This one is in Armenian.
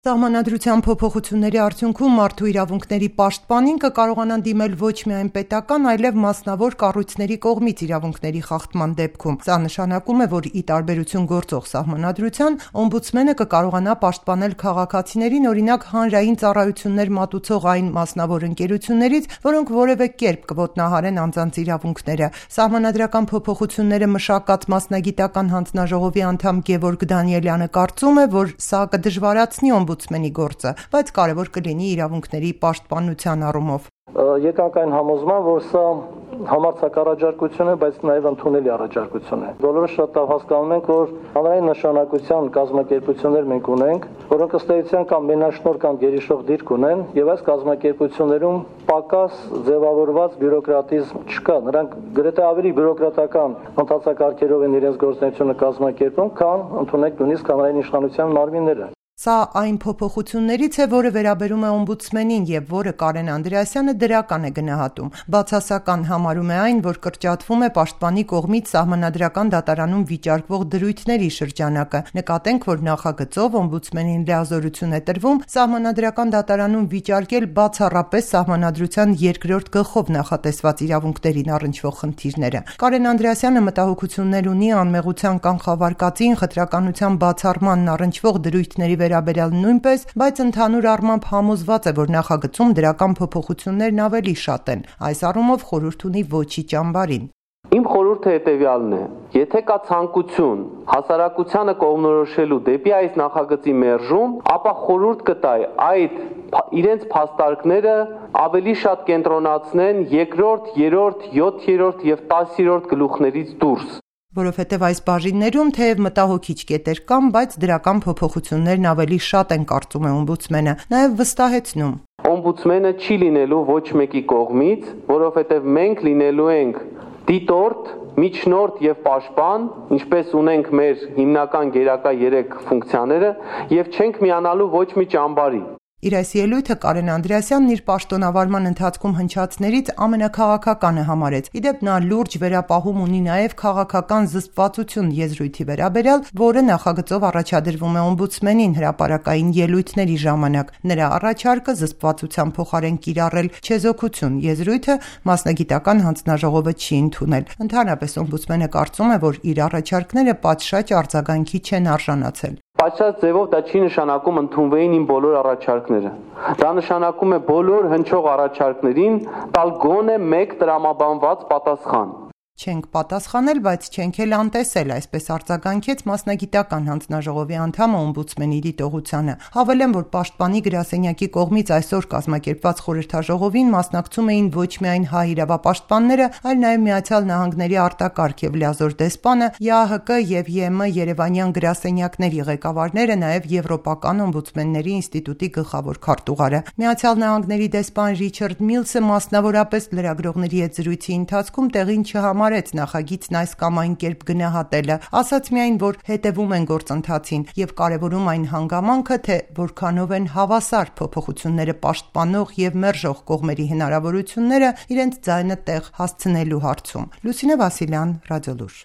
Սահմանադրության փոփոխությունների արդյունքում մարդու իրավունքների պաշտպանին կկարողանան դիմել ոչ միայն պետական, այլև մասնավոր կառույցների կողմից իրավունքների խախտման դեպքում։ Սա նշանակում է, որ ի տարբերություն գործող սահմանադրության, օմբուդսմենը կկարողանա պաշտպանել քաղաքացիներին, օրինակ, հանրային ծառայություններ մատուցող այն մասնավոր ընկերություններից, որոնք որևէ կերպ կոտնահարեն անձանց իրավունքները։ Սահմանադրական փոփոխությունները մշակած մասնագիտական հանձնաժողովի անդամ Գևորգ Դանիելյանը կարծում է, որ սա կդժվարացնի օմբուդսմենի գործը, բայց կարևոր կլինի իրավունքների պաշտպանության առումով։ Եկանք այն համոզման, որ սա համարձակ առաջարկություն է, բայց նաև ընդունելի առաջարկություն է։ Բոլորը շատ լավ հասկանում ենք, որ հանրային նշանակության կազմակերպություններ մենք ունենք, որոնք ըստ էության կամ մենաշնորհ կամ գերիշխող դիրք ունեն, եւ այս կազմակերպություններում պակաս ձևավորված բյուրոկրատիզմ չկա։ Նրանք գրեթե ավելի բյուրոկրատական ընթացակարգերով են իրենց գործունեությունը կազմակերպում, քան ընդունեք նույնիսկ հանրային իշխանության մարմինները։ Սա այն փոփոխություններից է, որը վերաբերում է օմբուդսմենին եւ որը Կարեն Անդրեասյանը դրական է գնահատում։ Բացասական համարում է այն, որ կրճատվում է պաշտպանի կողմից սահմանադրական դատարանում վիճարկվող դրույթների շրջանակը։ Նկատենք, որ նախագծով օմբուդսմենին լիազորություն է տրվում սահմանադրական դատարանում վիճարկել բացառապես սահմանադրության 2-րդ գլխով նախատեսված իրավունքներին առնչվող խնդիրները։ Կարեն Անդրեասյանը մտահոգություններ ունի անմեղության կանխավարկածին, խտրականության բացառմանն առնչվող դրույթների վերաբերյալ նույնպես, բայց ընդհանուր առմամբ համոզված է, որ նախագծում դրական փոփոխություններն ավելի շատ են։ Այս առումով խորհուրդ ունի ոչի ճամբարին։ Իմ խորհուրդը հետևյալն է. եթե կա ցանկություն հասարակությանը կողմնորոշելու դեպի այս նախագծի մերժում, ապա խորհուրդ կտայի այդ իրենց փաստարկները ավելի շատ կենտրոնացնեն 2-րդ, 3-րդ, 7-րդ եւ 10-րդ գլուխներից դուրս։ Որովհետև այս բաժիններում թեև մտահոգիչ կետեր կան, բայց դրական փոփոխություններն ավելի շատ են, կարծում է օմբուդսմենը, նաև վստահեցնում։ Օմբուդսմենը չի լինելու ոչ մեկի կողմից, որովհետև մենք լինելու ենք դիտորդ, միջնորդ եւ պաշտպան, ինչպես ունենք մեր հիմնական գերակա 3 ֆունկցիաները, եւ չենք միանալու ոչ մի ճամբարի։ Իր այս ելույթը Կարեն Անդրեասյանն իր պաշտոնավարման ընթացքում հնչացներից ամենակաղաքականը համարեց։ Իդեպ նա լուրջ վերապահում ունի նաև քաղաքական զսպվածություն եզրույթի վերաբերյալ, որը նախագծով առաջադրվում է օմբուդսմենին հրապարակային ելույթների ժամանակ։ Նրա առաջարկը զսպվածության փոխարեն կիրառել չեզոքություն եզրույթը մասնագիտական հանձնաժողովը չի ընդունել։ Ընդհանրապես օմբուդսմենը կարծում է, որ իր առաջարկները պատշաճ արձագանքի չեն արժանացել։ Պատշաճ ձևով դա չի նշանակում ընդունվեին իմ բոլոր առաջարկները։ Դա նշանակում է բոլոր հնչող առաջարկներին տալ գոնե մեկ տրամաբանված պատասխան։ Չենք պատասխանել, բայց չենք էլ անտեսել, այսպես արձագանքեց մասնագիտական հանձնաժողովի անդամը օմբուդսմենի դիտողությանը։ Հավելեմ, որ պաշտպանի գրասենյակի կողմից այսօր կազմակերպված խորհրդաժողովին մասնակցում էին ոչ միայն հայ իրավապաշտպանները, այլ նաև Միացյալ Նահանգների արտակարգ եւ լիազոր դեսպանը, ԵԱՀԿ եւ ԵՄ Երևանյան գրասենյակների ղեկավարները, նաև Եվրոպական օմբուդսմենների ինստիտուտի գլխավոր քարտուղարը։ Միացյալ Նահանգների դեսպան Ռիչարդ Միլսը մասնավորապես լրագրողների հետ զրույցի ընթացքում տեղին չհամարեց նախագիծն այս կամ այն կերպ գնահատելը, ասաց միայն, որ հետևում են գործընթացին եւ կարեւորում այն հանգամանքը, թե որքանով են հավասար փոփոխությունները պաշտպանող եւ մերժող կողմերի հնարավորությունները իրենց ձայնը տեղ հասցնելու հարցում։ Լուսինե Վասիլյան, Ռադիոլուր։